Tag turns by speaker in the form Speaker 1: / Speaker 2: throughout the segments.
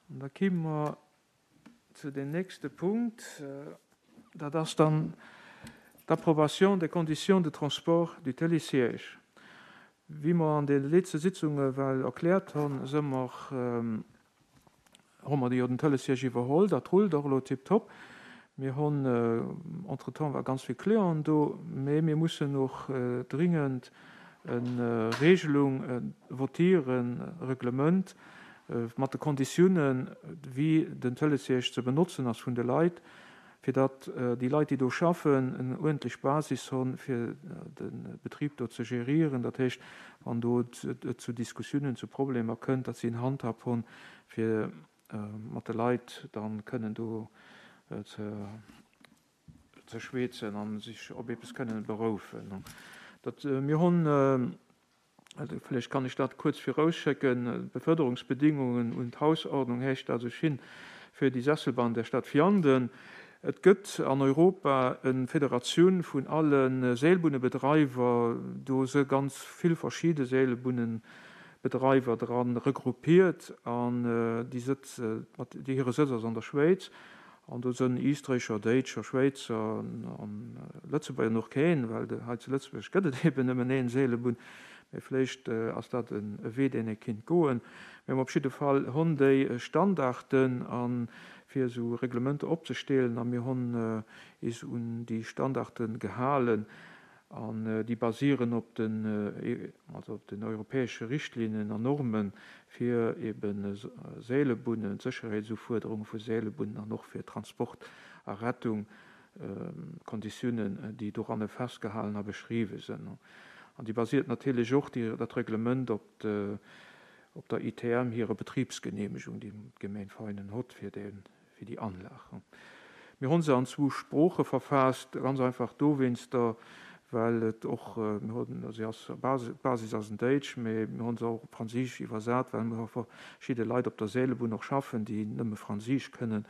Speaker 1: An da kime mer zu deem nächste Punkt, dat ass dann d'Approbation des conditions de transport du télésiège. Wéi mer an de letzte Sitzunge well erkläert hunn, si mer, hu mer jo den Télésiège iwwerholl. Dat rullt och elo tiptop. Mir hunn entretemps war ganz vill Clienten do, mä mir mussen och dringend e Regelung votieren, e Reglement mat de Konditiounen, wéi den Télésiège ze benotzen ass vun de Leit, fir datt déi Leit, déi do schaffen, en uerdentlech Basis hunn, fir de Betrib do ze gérieren. Dat heescht, wann do et zu Diskussiounen, zu Problemer kënnt, datt si en Handhab hunn, fir mat de Leit da kënnen do ze ze schweezen an sech op eppes kënnen beroufen. Dat mir hunn, vläicht kann ech dat kuerz virausschécken, d'Beförderungsbedingungen und Hausordnung heescht dat sech hin für die Sesselbahn der Stadt Vianden. Et gëtt an Europa e Federatioun vun alle Seelbunnebedreiwer, do se ganz vill verschidde Seelbunnebedreiwer dran regroupiert an déi sëtz, déi hire Sëtz ass an der Schwéiz. An do sënn Iisträicher, Déitscher, Schwéizer an Lëtzebuerger an och keen, well hei zu Lëtzebuerg gëtt et eben nëmmen een Seelebunn. Mee vléicht ass dat e Wee, deen ee kinnt goen. Mee op jidde Fall honn déi Standarden a fir esou Reglementer opzesteelen a mir honn is un déi Standarde gehalen. An déi basieren op den, also op den europäesche Richtlinnen an Normen fir ebe Seelebunnen, d'Sécherheetsufuerderunge vu Seelebunnen an och fir Transport a Rettung, Konditiounen, déi doranne festgehalen a beschriwwe sinn. An déi basiert natierlech och, déi, dat Reglement op de, op der ITM hire Betribsgenehmegung, déi d'Gemeng Veinen hott fir dee fir déi Anlag. Mir hunn se an zwou Sprooche verfaasst, ganz einfach dowéinster, well et och, mir hunn, se ass, d'Basis ass en Déitsch, mee mir hunn se och op Franséisch iwwersat, well mir verschidde Leit op der Seelebunn och schaffen, déi nëmme Franséisch kënnen,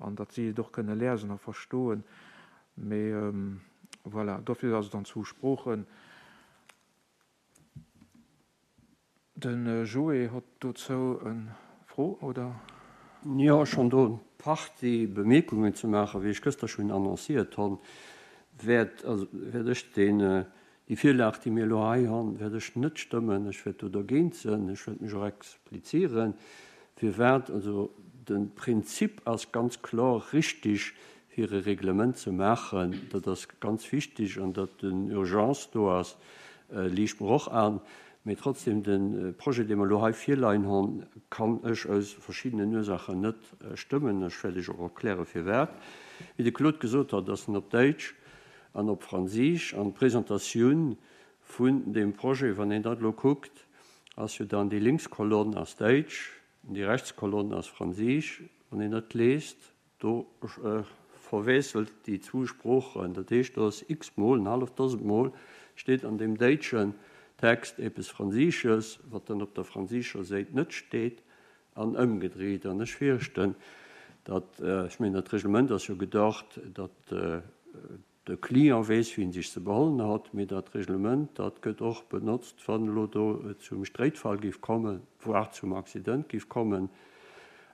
Speaker 1: an datt si et och kënne lesen a verstoen. Mee voilà, dofir ass et an zwou Sproochen. De Joé hott dozou en Fro, oder?
Speaker 2: Jo, ech honn do en Partie Bemierkungen ze maachen. Wéi ech gëster schonn annonciert honn, wäert, also wäert ech deen, déi Virlag, déi mir elo hei honn, wäert ech net stëmmen. Ech wäert do dergéint sënn. Ech wäert mech och explizieren, firwat. Also de Prinzip ass ganz kloer richtig, fir e Reglement ze maachen. Dat ass ganz wichtig an datt den Urgence do ass, liicht mer och an. Mee trotzdem, de Projet, dee mer elo hei virleien hunn, kann ech aus verschiddenen Ursachen net stëmmen. Ech wäert Iech och erklären, firwat. Wéi de Claude gesot hat, ass en op Däitsch an op Franséisch. An d'Presentatioun vun deem Projet, wann een dat elo kuckt, ass jo dann, déi lénks Kolonn ass Däitsch, déi rechts Kolonn ass Franséisch. Wann een dat liest, Do verwiesselt déi zwou Sproochen. Dat heescht, do ass x-mol, en halleft Dosent Mol steet an deem däitschen Text eppes Fransiisches, wat dann op der fransiischer Séit net steet, an ëmgedréit. An ech fierchten, datt, ech mengen, dat Reglement ass jo gedacht, datt De Client weess, wéi en sech ze behollen hat, mee dat Reglement, dat gëtt och benotzt, wann elo do et zum Stréitfall géif kommen, voire zum Accident géif kommen.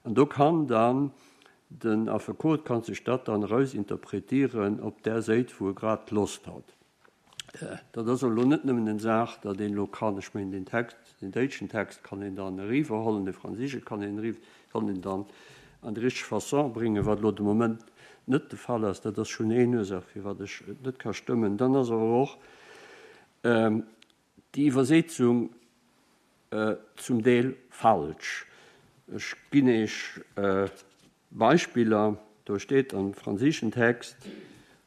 Speaker 2: An do kann dann den Affekot kann sech dat dann erausinterpretieren op där Séit, wou e grad Loscht hat. Dat ass elo net nëmmen eng Saach, datt een elo kann, ech mengen deen Text, deen däitschen Text kann een dann eriwwerhollen, dee franséische kann een eriwwer, kann een dann an déi richteg Façon bréngen, wat elo de Moment net de Fall ass. Dat ass schonn een Ursaach, firwat ech et net ka stëmmen. Dann ass awer och déi Iwwersetzung zum Deel falsch. Ech ginn Iech Beispiller, Do steet am franséischen Text,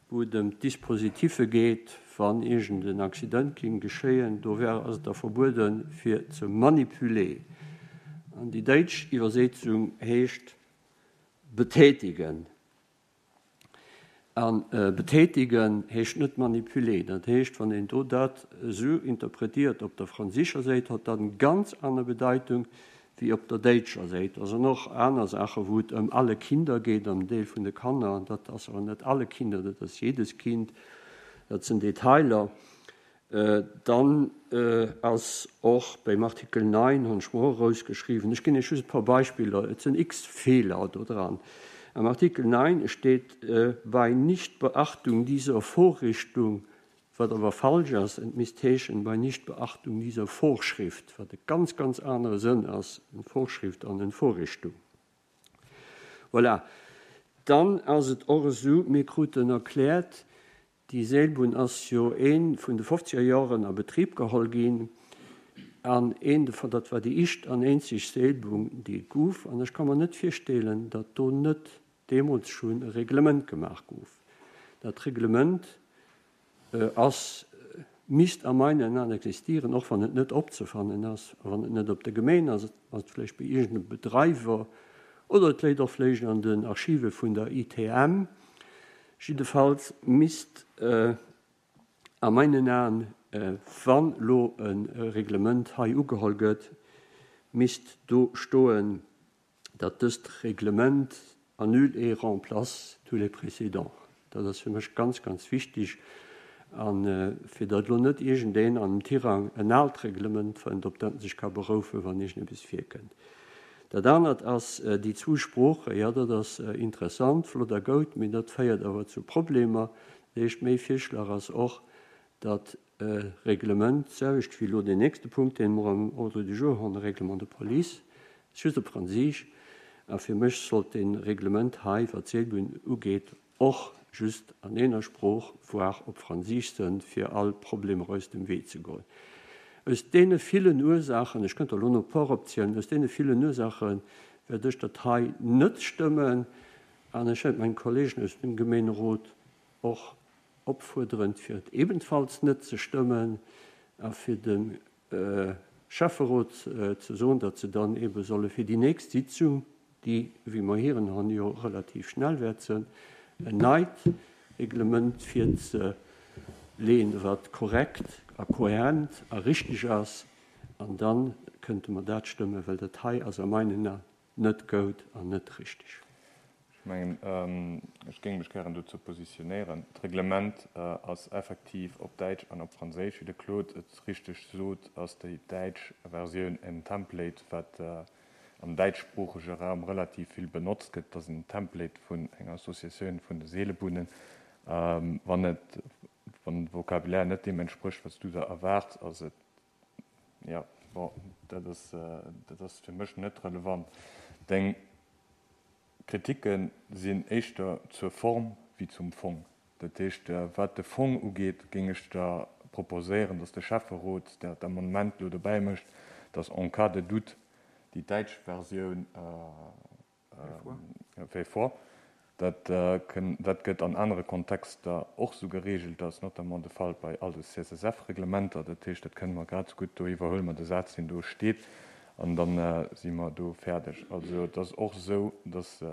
Speaker 2: wou et ëm d'Dispositiffe geet, wann iergend en Accident géing geschéien, do wär, ass et da verbueden, fir ze manipuler. An déi däitsch Iwwersetzung heescht betätigen. A betätigen heescht net manipuler. Dat heescht, wann een do dat esou interpretiert op der franséischer Säit, hat dat eng ganz aner Bedeitung wéi op der däitscher Säit. Da sinn och aner Saachen, wou et ëm alle Kinder geet, ëm Deel vun de Kanner. Dat ass awer net alle Kinder, dat ass jedes Kind. Dat sinn Detailer. Dann ass och beim Artikel 9, hunn ech mer och erausgeschriwwen, ech ginn Iech just e puer Beispiller, et sinn x Feeler do dran. Am Artikel 9 steet bei Nichtbeachtung dieser Vorrichtung, wat awer falsch ass, et misst heeschen bei Nichtbeachtung dieser Vorschrift, wat e ganz, ganz anere Sënn ass, eng Vorschrift an eng Vorrichtung. Voilà. Dann ass et och esou, mir kruten erkläert, Déi Seelbunn ass jo een vun de fofzeger Joren a Betrib geholl ginn an een dovun, dat war déi ischt an eenzeg Seelbunn déi et guff an ech ka mer net virsteelen, datt do net deemools schonn e Reglement gemaach guff. Dat Reglement ass, misst a meinen Aen existieren, och wann et net opzefannen ass a wann et net op der Gemeen ass, ass et vläicht bei iergendem Bedreiwer oder et léit och vläicht an den Archive vun der ITM. Jiddefalls misst a meinen Aen, wann elo e Reglement hei ugeholl gëtt, misst do stoen, datt dëst Reglement annule et remplace tous les précédents. Dat ass fir mech ganz, ganz wichtig. A fir datt elo net iergendeen an dem Tirang en aalt Reglement fënnt, op dat en sech ka beroufen, wann iergendeppes virkënnt. Dat anert ass déi zwou Sproochen. Jo, dat ass interessant, flott a goud, mee dat féiert awer zu Problemer. Dat heescht, méi Virschlag ass och, datt e Reglement, d'selwecht wéi elo deen nächste Punkt, dee mer am Ordre du jour hunn, e Règlement de police, ass just op Franséisch. A fir mech sollt dee Reglement hei, wat d'Seelbunn ugeet, och just an eener Sprooch, voire op Fransiisch sënn, fir all Problemer aus dem Wee ze goen. Aus deene villen Ursaachen, ech kënnt der elo no e puer opzielen, aus deene villen Ursaache wäert ech dat hei net stëmmen an ech wäert meng Kollegen aus dem Gemeenerot och opfuerderen, fir et ebenfalls net ze stëmmen a fir dem Schäfferot ze soen, datt se dann eebe solle fir déi nächst Sitzung, déi, wéi mer hiren han, jo relativ schnell wäert sënn, en neit Reglement virzeleeën, wat korrekt a kohärent a richtig ass, an da kënnte mer dat stëmmen, well dat hei ass a meinen Aen net goud an net richtig.
Speaker 3: Ech mengen, ech géing mech gären dozou positionéieren. D'Reglement ass effektiv op Däitsch an op Franséisch. Wéi de Claude et richteg sot, ass déi däitsch Versioun en Template, wat am däitschsproochege Raum relativ vill benotzt gëtt. Et ass en Template vun enger Associatioun vun de Seelebunnen. Wann et, wann de Vocabulaire net deem entsprécht, wat s du der erwaarts, ass et Jo, bon, dat ass, dat ass fir mech net relevant. Deng Kritikke sinn éischter zur Form wéi zum Fong. Dat heescht, wat de Fong ugeet, géing ech der proposéieren, datt de Schäfferot dat Amendement elo dobäi mécht, datt en cas de doute déi däitsch Versioun, Fait foi. Dat dat gëtt an anere Kontexter och esou geregelt. Dat ass notamment de Fall bei all de CSSF-Reglementer. Dat heescht, dat kënne mer grad esou gutt, do iwwerhuele mer de Saz, deen do steet, an da si mer do fäerdeg. Also et ass och esou, dass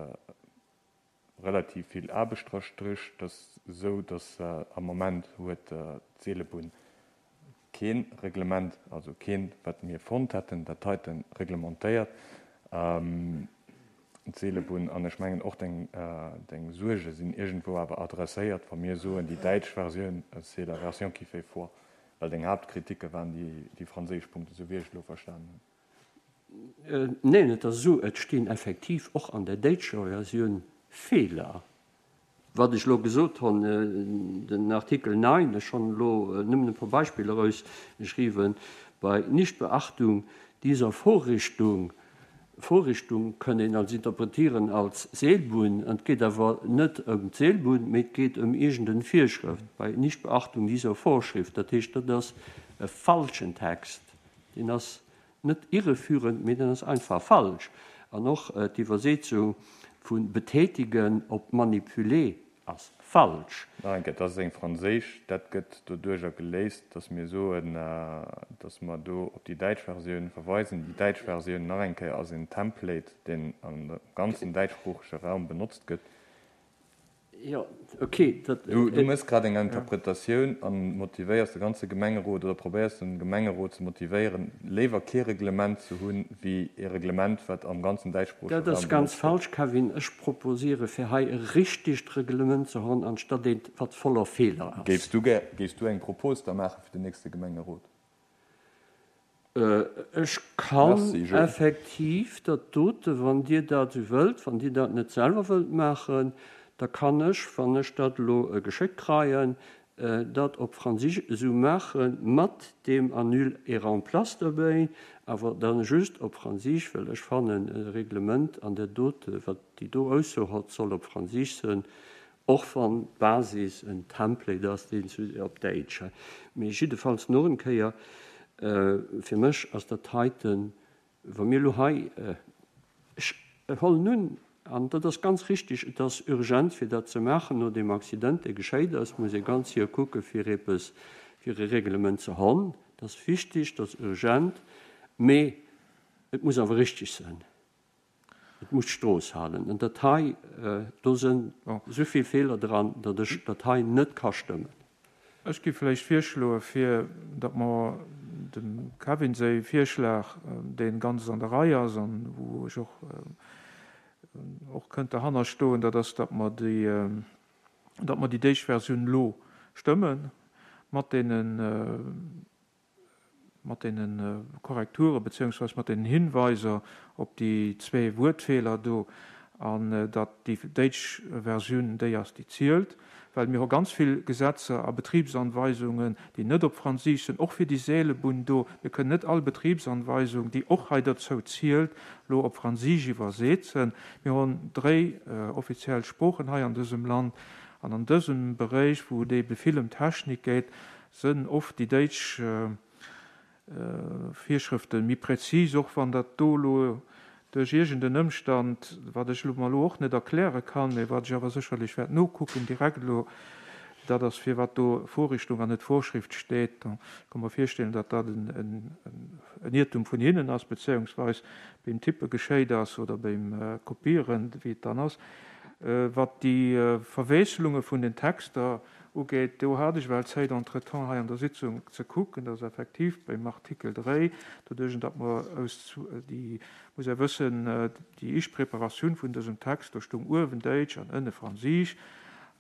Speaker 3: relativ vill Aarbecht dra strécht. Et ass esou, dass am Moment huet d'Seelebunn Keen Reglement, also keent wat mir fonnt hätten, dat heiten reglementéiert d'Seelebunn. An ech mengen och deng deng Suerge sinn iergendwou awer adresséiert, wa mir soen, déi däitsch Versioun, c'est la version qui fait foi, well deng Haaptkritike waren déi déi franséisch Punkten, esou wéi ech et elo verstanen hunn.
Speaker 2: Neen, et ass esou, et stinn effektiv och an der däitscher Versioun Feeler. Wat ech elo gesot hunn, den Artikel 9, ech hunn elo nëmmen e puer Beispiller erausgeschriwwen, bei Nichtbeachtung dieser Vorrichtung, Vorrichtung kënn een als interpretieren als Seelbunn, an et geet awer net ëm d'Seelbunn, mee et geet ëm iergend en Virschrëft, bei Nichtbeachtung dieser Vorschrift, dat heescht, dat ass e falschen Text, deen ass net irreführend, mee deen ass einfach falsch. An och d'Iwwersetzung vu betätigen op manipuler ass falsch.
Speaker 3: Nach eng Kéier, dat ass eng franséisch. Dat gëtt doduerjer geléist, dass mir soen, dass mer do op déi däitsch Versioun verweisen. Déi däitsch Versioun, nach eng Kéier, ass en Template, deen am ganzen däitschsproochege Raum benotzt gëtt.
Speaker 2: Jo, ok, dat.
Speaker 3: Du méchs grad eng Interpretatioun a motivéiers de ganze Gemengerot oder probéiers de Gemengerot ze motivéieren, léiwer kee Reglement ze hunn, wéi ee Reglement, wat am ganzen däitschsproochege
Speaker 2: Raum
Speaker 3: benotzt gëtt.
Speaker 2: Dat ass ganz falsch, Kevin. Ech proposiere fir hei e richtegt Reglement ze hunn, anstatt eent, wat voller Feeler ass.
Speaker 3: Géifs du gär, géifs du eng Propos da maache fir den nächste Gemengerot?
Speaker 2: Ech kann effektiv dat dote, wann Dir dat esou wëllt, wann Dir dat net selwer wëllt maachen, da kann ech, wann ech dat elo geschéckt kreien, dat op Fransisch esou maache mat deem Annule et remplace derbäi, awer da just op Fransisch, well ech fannen, e Reglement an där dote, wat déi do Ausso hott, soll op Fransisch sënn. Och wann d'Basis en Template ass, deen zu op Däitsch. Mee jiddefalls nach en Kéier, fir mech ass dat heiten, wa mir elo hei, ech hollen un, an dat ass ganz richtig, et ass urgent fir dat ze maachen no deem Accident, dee geschéit ass, muss ee ganz séier kucke fir eppes, fir e Reglement ze honn. Dat ass wichtig, dat ass urgent, mee et muss awer richtig sinn. Et muss d'Strooss halen. An dat hei, do sënn esou vill Feeler dran, datt ech dat hei net ka stëmmen.
Speaker 1: Ech géif vläicht virschloen, fir datt mer dem Kevin säi Virschlag, dee ganz an der Rei ass an wou ech och och kënnt derhanner stoen, dat ass, datt mer déi, datt mer déi d'éischt Versioun elo stëmmen mat deenen, mat deene Korrekture beziehungsweise mat deenen Hinweiser op déi zwee Wuertfeeler do, an datt déi déitsch Versioun déi ass, déi zielt, well mir hu ganz vill Gesetzer a Betriebsanweisungen, déi net op Franséisch sinn, och fir déi Seelebunn do. Mir kënnen net all Betriebsanweisung, déi och hei dozou zielt, elo op Franséisch iwwersetzen. Mir hunn dréi offiziell Sproochen hei an dësem Land, an an dësem Beréich, wou et ebe vill ëm Technik geet, Sënn oft déi déitsch Virschrëfte méi präzis, och wann dat do elo duerch iergend en Ëmstand, wat ech mer elo och net erkläre kann, mä wat ech awer sécherlech wäert nokucken direkt elo, dat ass firwat do Vorrichtung an net Vorschrift steet. Ech ka mer virstellen, datt dat en Iertum vun hinnen ass, bezéiungsweis beim Tippe geschéit ass oder beim Kopieren, wéi et dann ass. Wat déi Verwiesselunge vun den Texter Ugeet. Do hat ech well Zäit entretemps hei an der Sitzung ze kucken, dass effektiv beim Artikel 3, doduerch datt mer aus déi, muss ee wëssen, déi éischt Preparatioun vun dësem Text, do stoung uewen Däitsch an ënne Franséisch,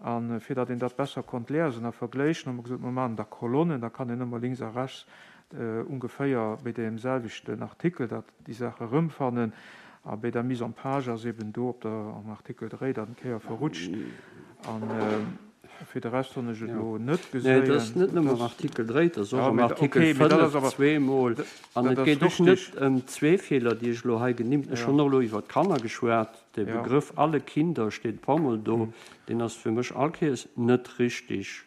Speaker 1: a fir datt een dat besser konnt liesen a vergléichen, hu mer gesot, mer maachen da Kolonnen, da kann een ëmmer links a rechts ongeféier bei deem selwechten Artikel dat déi Saach erëmfannen. A bei der Mise en page ass eben do op der, am Artikel 3 dat eng Kéier verrutscht. A fir de Rest hunn ech et elo net
Speaker 2: geséien. Nee, et ass net nëmme am Artikel 3, et ass och am Artikel 5 zweemol. An et geet och net ëm zwee Feeler, déi ech elo hei genimmt hunn. Ech hunn och elo iwwer d'Kanner geschwat. De Begrëff alle Kinder steet e puermol do. Deen ass fir mech all Kéiers net richtig.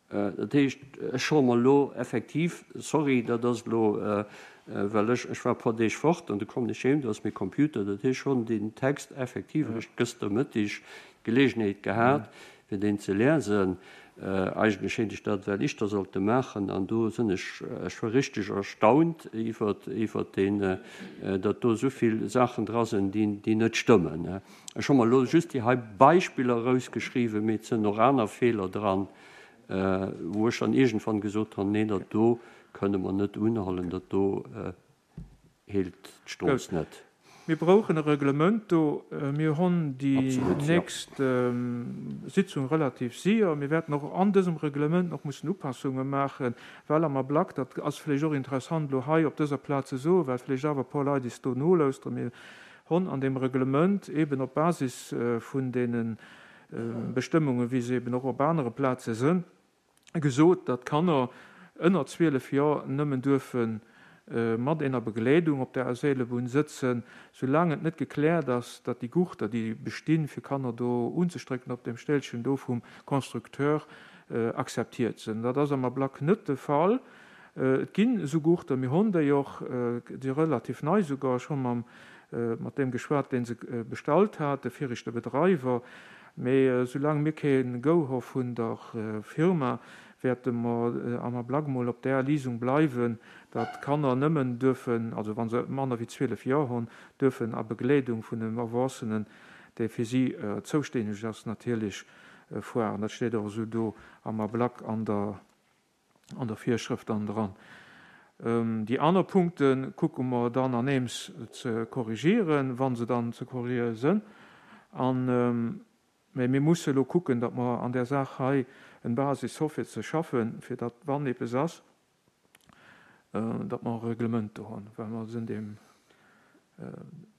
Speaker 2: Dat heescht, ech soe mer elo effektiv, sorry, dat ass elo, well ech, ech war e puer Deeg fort an du kommen ech heem, do ass mäi Computer, dat heescht, ech hunn deen Text effektiv eréischt gëschter Mëttig d'Geleegenheet gehat, fir deen ze liesen. Eigentlech héint ech dat well ischter sollte maachen an do sinn ech, ech war richteg erstaunt iwwert, iwwert deen, datt do esou vill Saachen dra sinn, déi, déi net stëmmen. Ech hu mer elo just déi hei Beispiller erausgeschriwwen, mee et sënn och aner Feeler dran, wou ech dann iergendwann gesot hunn, Nee, dat do kënne mer net unhollen, dat do heelt d'Strooss net.
Speaker 1: Mir brauchen e Reglement do. Mir hunn déi nächst Sitzung relativ séier. Mir wäerten och an dësem Reglement nach mussen Upassunge maachen, well am Ablack, dat ass vläicht och interessant elo hei op dëser Plaz ze soen, well vläicht awer e puer Leit is do nolauschteren, mir Honn an dem Reglement eben op Basis vun deene Bestëmmungen, wéi se eben och op anere Plaze sënn, gesot, datt Kanner ënner 12 Joer nëmmen duerfe mat eener Begleedung op der Seelebunn sëtzen, soulaang et net gekläert ass, datt déi Gurter, déi bestinn, fir Kanner do unzestrécken op deem Stélchen do vum Constructeur, akzeptiert sënn. Dat ass am Ablack net de Fall. Et ginn esou Gurter, mir honn déi och, déi relativ nei souger, ech hu mam mat deem geschwat, dee se bestallt hat, de viregte Bedreiwer. Mee soulaang mir kee Go hu vun der Firma, wäerte mer am Ablack mol op där Lisung bleiwen, datt d'Kanner nëmmen duerfen, also wa se manner wéi 12 Joer hunn, duerfen a Begleedung vun engem Erwuessenen, dee fir si zoustänneg ass natierlech. fueren. Dat steet och esou do am Ablack an der an der Virschrëft dann dran. Déi aner Punkte kucke mer dann aneems ze korrigieren, wa se dann ze korrigiere sënn. An, mä mir musse elo kucken, datt mer an där Saach hei en Basis hu fir ze schaffen, fir datt, wann eppes ass, datt mer e Reglement do hunn, well mer sinn deem,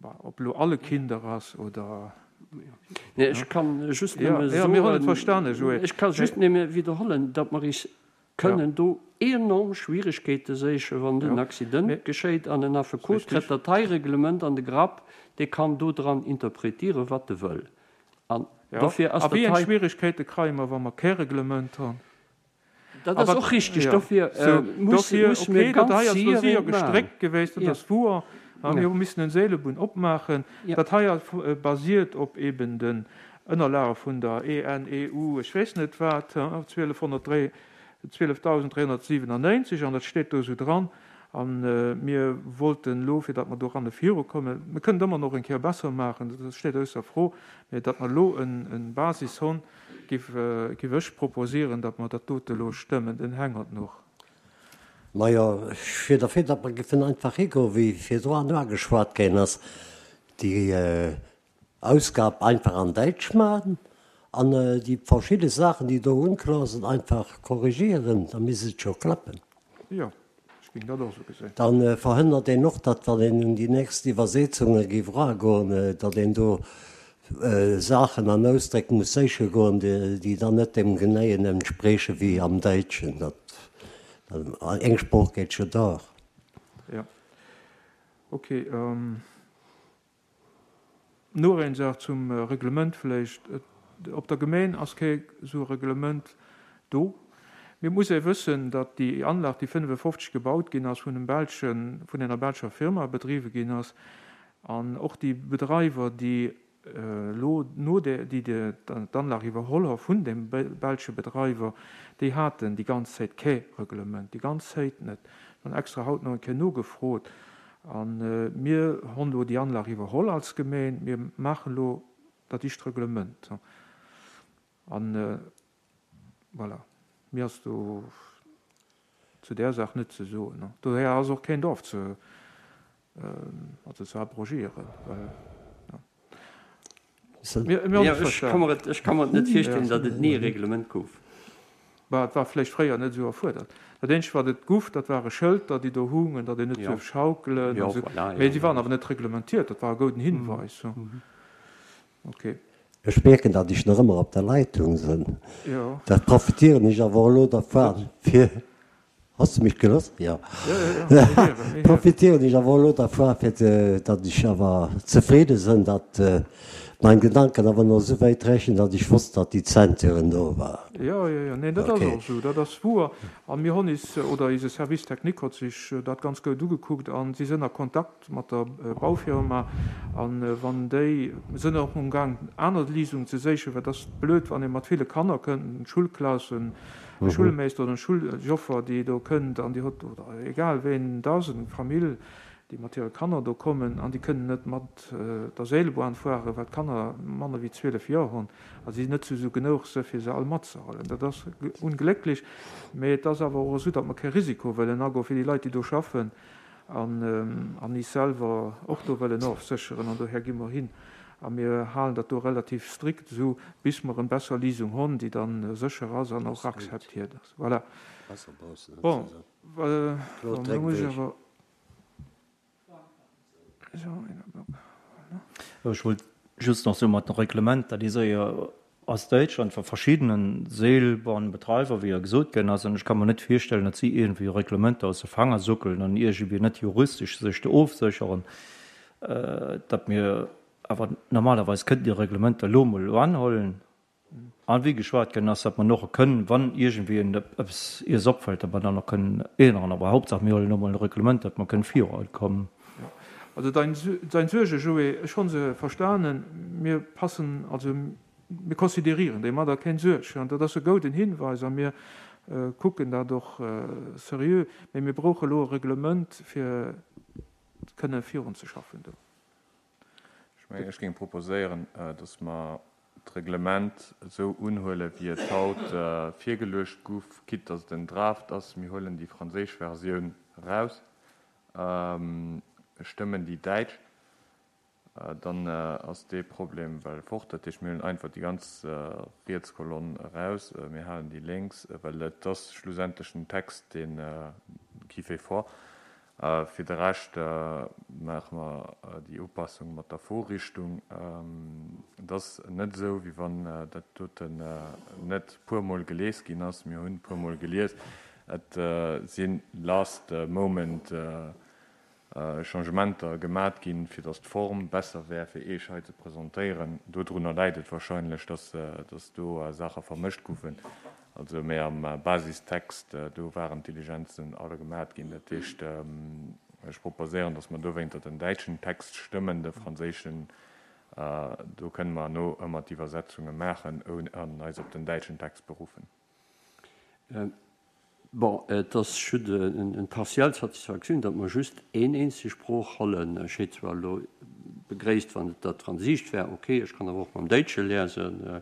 Speaker 1: ob elo alle Kinder ass oder.
Speaker 2: Nee, ech kann just nëmme soen,
Speaker 1: mir hunn et verstane, Joé.
Speaker 2: Ech ka just nëmme widderhollen, datt mer is kënnen do enorm Schwierigkeete séichen, wann den Accident geschéit an en Affekot kritt dat hei Reglement an de Grapp, dee kann do dran interpretieren, wat e wëll. An dofir ass
Speaker 1: dat hei. A wéi eng Schwierigkeete kreie mer, wa mer kee Reglement hunn?
Speaker 2: Dat ass och richtig. Dofir musse mir
Speaker 1: ganz séier gestréckt geweest, dat ass wouer. Mir hu missen en Seelebunn opmaachen. Dat hei basiert op eben den Ënnerlage vun der EN, EU, ech weess net wat, 12397, an dat steet do esou dran. A mir wollten elo, fir datt mer doranne virukommen, mir kënnen et ëmmer nach eng Kéier besser maachen, dat steet ausser Fro, mä datt mer elo en Basis hunn, Giff ech proposieren, datt mer dat dote elo stëmmen. Den Heng hott noch.
Speaker 4: Majo, ech wier derfir, datt mer giffen einfach higoen, wéi virdru ugeschwat ginn ass, déi Ausgab einfach an Däitsch maachen an déi verschidde Saachen, déi do unklar sinn, einfach korrigieren, da misst et scho klappen.
Speaker 1: Jo, ech géing dat och esou gesinn.
Speaker 4: Da verhënnert een och, datt, wann een un déi nächst Iwwersetzunge géif eragoen, datt een do Saachen an Ausdréck muss séiche goen, déi dann net deem genéien entsprieche wéi am Däitschen. Dat, eng Sprooch geet jo dach.
Speaker 1: Jo, okay. Nuer een Saach zum Reglement vläicht. Op der Gemeen ass kee sou Reglement do. Mee et muss ee wëssen, datt déi Anlag, déi 55 gebaut ginn ass, vun engem belschen, vun enger belscher Firma bedriwwe ginn ass. An och déi Bedreiwer, déi elo no där, déi d'Anlag iwwerholl hu vun deem belsche Bedreiwer, déi haten déi ganz Zäit kee Reglement, déi ganz Zäit net. Ech hunn extra haut nach eng Kéier nogefrot. A mir hunn elo déi Anlag iwwerholl als Gemeen. Mir maachen elo dat ischt Reglement. An voilà, méi ass do zu där Saach net ze soen. Dohier ass och keen Dorf ze, also ze abrogieren, well, jo.
Speaker 2: Mir hunn et verstanen. Ech ka mer et net virstellen, datt et ni e Reglement gouf.
Speaker 1: Bah, et war vläicht fréier net esou erfuerdert. Dat eenzegt, wat et guff, dat ware Schëlter, déi do hungen, datt een net duerf schaukelen an esou. Mee déi waren awer net reglementiert. Dat war e gouden Hinweis. Ok.
Speaker 4: Ech mierken, datt ech nach ëmmer op der Leitung sinn. Dat profitieren ech awer elo dervan, fir Has de mech gelooss? Jo. Profitieren ech awer elo dervun, fir datt ech awer zefridde sinn, datt mein Gedanken awer nach esou wäit rechen, datt ech wosst, datt déi Ceinturen do waren.
Speaker 1: Jo, jo, jo, neen, dat ass och esou, dat ass wuer. A mir hunn is, oder eise Service technique huet sech dat ganz goud ugekuckt a si sënn a Kontakt mat der Baufirma an wann déi sënn och um Gang aner Lisungen ze séichen, well et ass blöd wann ee mat ville Kanner kënnt, Schulklassen, e Schulmeester oder en Schuljoffer déi do kënnt an déi hott oder egal ween et ass, eng Famill déi mat hire Kanner do kommen an déi kënnen net mat der Seilbahn fueren, well d'Kanner manner wéi 12 Joer hunn a si net zu sou genouch se fir se all matzehuelen. Dat ass unglécklech, mee et ass awer och esou, datt mer kee Risiko wëllen agoen fir déi Leit déi do schaffen. an is selwer och do wëllen ofsécheren an dohär gi mer hin a mir halen dat do relativ strikt esou bis mer en besser Lisung honn, déi dann sécher ass an och akzeptiert ass. Voilà. Bon, lo muss ech awer.
Speaker 5: Ech wollt just nach soen, mat den Reglementer, déi séier aus Däitschland vu verschiddenen Seilbahnbetreiber, wéi jo gesot ginn ass, an ech ka mer net virstellen, datt si iergendwéi Reglementer aus de Fanger suckelen an iergendwéi net juristesch sech do ofsécheren, datt mir awer normalerweis kënnten déi Reglementer elo emol anhuelen an wéi geschwat ginn ass, datt mer och kënnen, wann iergendwéi en eppes iers opfält, datt mer dann och kënnen änneren. Awer Hauptsaach mir huelen elo emol e Reglement, datt mer kënnen virukommen.
Speaker 1: Also dein Suerge, Joé, ech honn se verstanen. Mir passen, also mir considérieren déi mat a keng Suerg. An dat ass e gouden Hinweis a mir kucken dat och seriö. Mee mir brauche elo e Reglement, fir kënne virunzeschaffen do.
Speaker 3: Ech mengen, ech géing proposéieren, dass mer. D'Reglement esou unhuelen, wéi et haut virgeluecht guff, quitte dass et en Draft ass. Mir huelen déi franséisch Versioun eraus, stëmmen déi däitsch, dann ass dee Problem well fort. Dat heescht, mir huelen einfach déi ganz riets Kolonn eraus, mir halen déi lénks, well et ass schlussendlech den Text, dee qui fait foi. Fir de Rescht maache mer déi Upassung mat der Vorrichtung. Et ass net esou, wéi wann dat doten net puermol gelies ginn ass. Mir hunn puermol gelies. Et si last moment Changementer gemat ginn, fir datt d'Form besser wär, fir Iech hei ze presentéieren. Dodrunner läit et wahrscheinlech, datt do Saache vermëscht goufen. Also, mee am Basistext, do waren d'Diligenzen alle gemat ginn. Dat heescht, ech proposéieren, datt mer dowéinter den däitschen Text stëmmen, de franséischen, do kënne mer herno ëmmer d'Iwwersetzunge maachen an eis op den däitschen Text beruffen.
Speaker 2: Bon, et ass just eng partiell Satisfaktioun, datt mer just een eenzeg Sprooch hollen. Ech hétt zwar elo begréisst, wann et dat Fransiischt wär. Ok, ech kann awer och mam Déitsche liesen,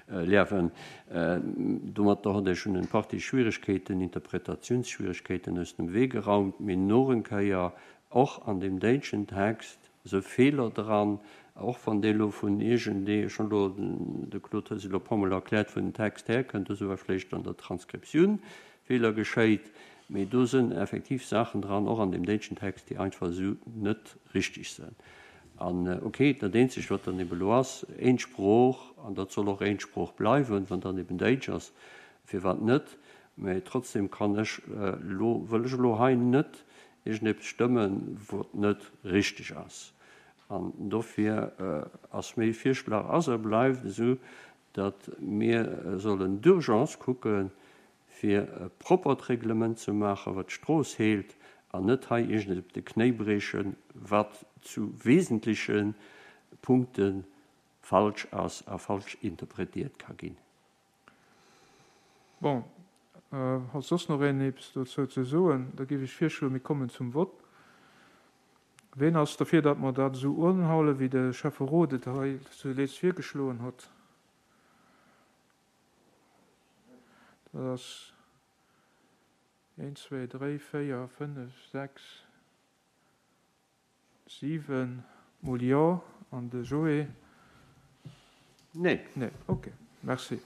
Speaker 2: liewen. Domatter hott ech schon eng Partie Schwieregkeeten, Interpretatiounsschwieregkeeten aus dem Wee geraumt. Mee noch eng Kéier, och an deem déitschen Text se Feeler dran, och wann dee lo vun iergendee, ech hunn elo, de Claude huet se elo e puermol erkläert, wou den Text herkënnt, do si war vläicht an der Transkriptioun Feeler geschéit, mee do sënn effektiv Saachen dran, och an deem déitschen Text, déi einfach esou net richtig sënn. An ok, dat eenzegt wat dann eben elo ass, een Sprooch, an dat soll och een Sprooch bleiwen, wann dann eben Déitsch ass, firwat net, mee trotzdem kann ech elo, wëll ech elo hei net iergendeppes stëmmen, wat net richteg ass. An dofir ass méi Virschlag ass a bleift esou, datt mir sollen d'urgence kucken, fir e proppert Reglement ze maachen, wat d'Strooss heelt, an net hei iergendeppes op de Knéi briechen, wat zu wesentleche Punkte falsch ass a falsch interpretiert ka ginn.
Speaker 1: Bon, hott soss nach een eppes dozou ze soen? Da géif ech virschloen, mir kommen zum Vott. Ween ass derfir, datt mer dat esou unhalen, wéi de Schäfferot et hei zuletzt virgeschloen hott? Dat ass een, zwéi, dréi, véier, fënnef, sechs, 7 mol Jo an de Joé?
Speaker 2: Nee.
Speaker 1: Nee, ok, merci.